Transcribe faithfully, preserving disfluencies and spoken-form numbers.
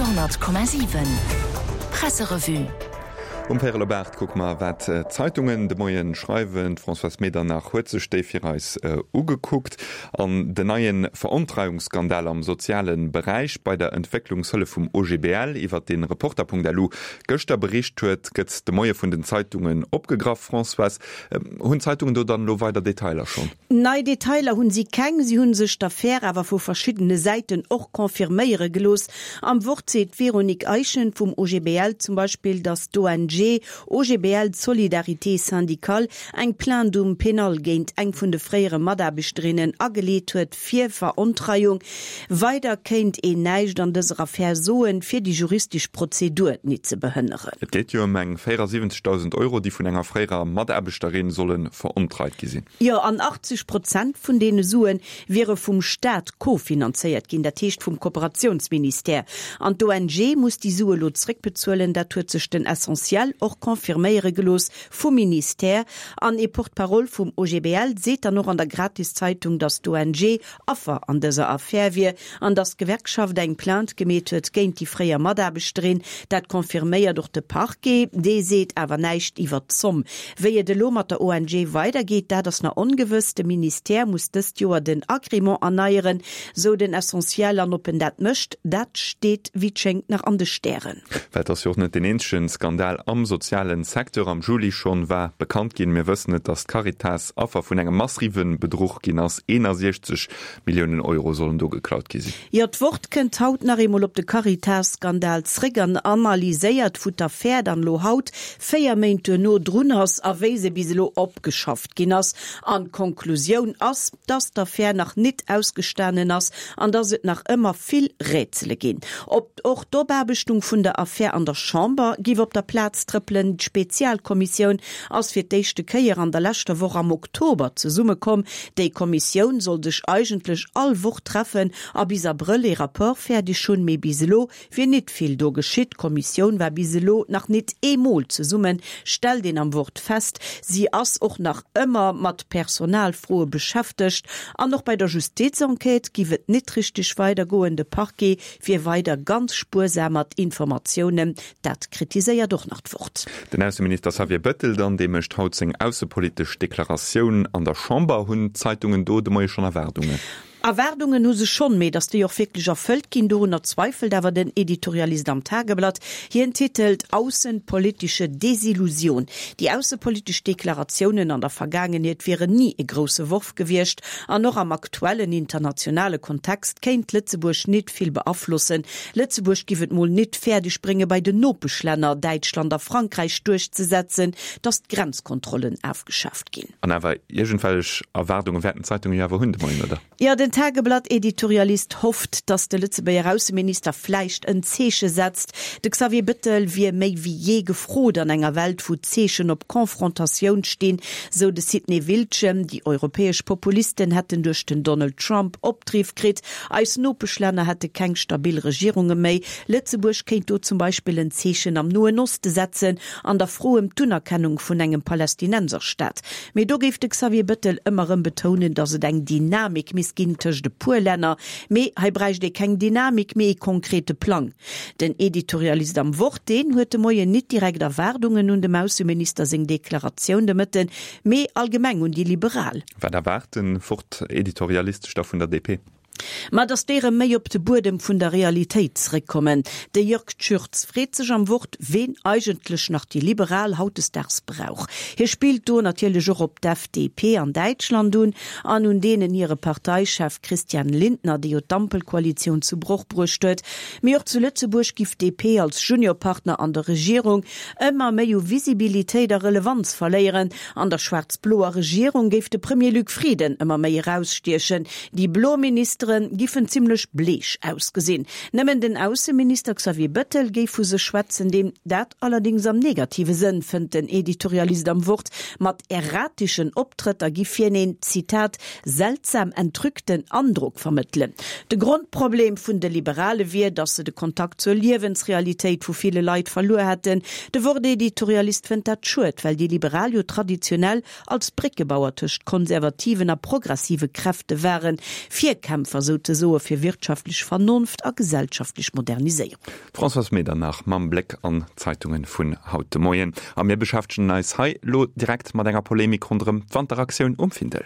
Radio honnert Komma siwen Presserevue. Um Véierel op aacht kucke mer, wat d'Zeitungen de Moien schreiwen. D'Françoise Medernach huet sech déi fir eis ugekuckt. An den neie Verontreiungsskandal am soziale Beräich bei der Entwécklungshëllef vum O G B L, iwwer dee Reporter Punkt L U gëschter bericht huet, gëtt de Moie vun den Zeitungen opgegraff. Françoise, hunn d'Zeitungen do dann elo weider Detailer schonn? Nei Detailer hunn si keng. Si hunn sech d'Affär awer vu verschiddene Säiten och confirméiere gelooss. Am Wort seet d'Véronique Eischen vum O G B L zum Beispill, datt d'O N G O G B L Solidarité Syndicale eng Plainte um Pénal géint eng vun de fréiere Mataarbechterinnen ageleet huet fir Verontreiung. Weider kéint een näischt an dëser Affär soen, fir déi juristesch Prozedur net ze behënneren. Et geet jo ëm eng véierasiwwenzegdausend Euro, déi vun enger fréierer Mataarbechterin solle verontreit gi sinn. Jo, an achtzeg Prozent vun deene Sue wiere vum Staat kofinanzéiert ginn, dat heescht vum Kooperatiounsministère. An d'O N G muss déi Sue lo zréckbezuelen, dat huet sech den Essentiel och confirméiere gelooss vum Ministère. An ee Porte-parole vum O G B L seet dann och an der Gratiszeitung, datt d'O N G Affer an dëser Affär wier an datt d'Gewerkschaft eng Plainte gemeet huet géint déi fréier Mataarbechterin. Dat confirméiert och de Parquet, dee seet awer näischt iwwer d'Zomm. Wéi et elo mat der O N G weidergeet, dat ass nach ongewëss. De Ministère muss dëst Joer den Agrément erneieren, sou den Essentiel, an ob en dat mécht, dat steet wéi et schéngt nach an de Stären. Well et ass jo och net deen eenzege Skandal am sozialen Secteur. Am Juli schonn war bekannt ginn, mir wëssen et, datt d'Caritas Affer vun engem massive Bedruch ginn ass. eenasechzeg Milliounen Euro sollen do geklaut gi sinn. Jo, d'Wort kënnt haut nach eemol op de Caritas-Skandal zréck an analyséiert, wou d'Affär dann elo haut, véier Méint duerno, drun ass a wéi se bis elo opgeschafft ginn ass. An d'Konklusioun ass, dass d'Affär nach nit ausgestanen ass an dass et nach ëmmer vill Rätsele ginn. Ob och d'Opaarbechtung vun der Affär an der Chamber giff op der Plaz trëppelen. D'Spezialkommissioun ass fir d'éischte Kéier an der leschter Woch am Oktober zesummekomm. Déi Kommissioun soll sech eigentlech all Woch treffen a bis Abrëll ee Rapport fäerdeg hunn, mee bis elo wier nit vill do geschitt. D'Kommissioun war bis elo nach nit eemol zesummen, stellt een am Wort fest. Si ass och nach ëmmer mat Personalfroe beschäftegt. An och bei der Justizenquête giff et nit richteg weidergoen. De Parquet wier weider ganz spuersam mat Informatiounen, dat kritiséiert och nach d'Wort. Den Ausseminister Xavier Bettel dann, dee mécht haut seng aussepolitesch Deklaratioun an der Chamber. Hunn d'Zeitungen do de Moie schonn Erwaardungen? Erwaardungen hu se schonn, mee datt déi och wierklech erfëllt ginn, dorunner zweifelt awer den Editorialist am Tageblatt. Hien titelt Außenpolitische Desillusion. Déi aussepolitesch Deklaratiounen an der Vergaangenheet wieren ni e grousse Worf gewiescht an och am aktuellen internationale Kontext kéint Lëtzebuerg nit vill beaflossen. Lëtzebuerg giff et mol nit fäerdeg bréngen, bei den Nopeschlänner Däitschland a Frankräich duerchzesetzen, datt d'Grenzkontrollen afgeschaaft ginn. An awer iergendwelch Erwaardunge wäerten d'Zeitunge jo awer hunn de Moien, oder? Jo, den Tageblatt-Editorialist hofft, datt de Lëtzebuerger Ausseminister vläicht en Zeeche setzt. De Xavier Bettel wier méi wéi jee gefrot an enger Welt, wou d'Zeechen op Konfrontatioun stinn, sou de Sidney Wiltgen. Déi europäesch Populisten hätten duerch den Donald Trump Opdriff kritt. Eis Nopeschlänner hätte keng stabil Regierunge méi. Lëtzebuerg kéint do zum Beispill en Zeechen am Noen Oste setzen an der Fro ëm d'Unerkennung vun engem Palästinenserstaat. Mee do géif de Xavier Bettel ëmmer erëm betounen, datt et eng Dynamik misst ginn tëscht e puer Länner. Mee hei bräicht ee keng Dynamik, mee ee konkrete Plang. Den Editorialist am Wort, deen huet de Moien nit direkt Erwaardungen un dem Ausseminister seng Deklaratioun de Mëtten, mee allgemeng un déi Liberal. Wat erwaart den Wort-Editorialist da vun der D P? Ma datt déi erëm méi op de Buedem vun der Realitéit zréckkommen. De Jörg Tschürtz freet sech am Wort, ween eigentlech nach déi Liberal hautdesdaags brauch. Hie spillt do natierlech och op d'F D P an Däitschland un an un deenen hire Parteichef Christian Lindner, dee jo d'Ampelkoalitioun zu Broch bruecht huet. Mee och zu Lëtzebuerg giff d'D P als Juniorpartner an der Regierung ëmmer méi u Visibilitéit a Relevanz verléieren. An der schwaarz-bloer Regierung géif de Premier Luc Frieden ëmmer méi erausstiechen. Déi blo Ministere giffen zimmlech bleech ausgesinn. Nëmmen den Ausseminister Xavier Bettel géif vu sech schwätzen, deen, dat allerdéngs am negative Sënn, fënnt den Editorialist am Wort, mat errateschen Optrëtter giff hien een, Zitat, seltsam entrückten Androck vermëttelen. De Grondproblem vun de Liberale wier, datt se de Kontakt zur Liewensrealitéit vu ville Leit verluer hätten. De Wort-Editorialist fënnt dat schued, well déi Liberal jo traditionell als Bréckebauer tëscht konservativen a progressive Kräfte waren. Virkämpfer Virkämpfer souzesoe fir wirtschaftlech Vernonft a gesellschaftlech Moderniséierung. D'Françoise Medernach mam Bléck an d'Zeitunge vun haut de Moien. A mir beschäftegen eis hei lo direkt mat enger Polemik ronderëm d'Wanteraktioun um Findel.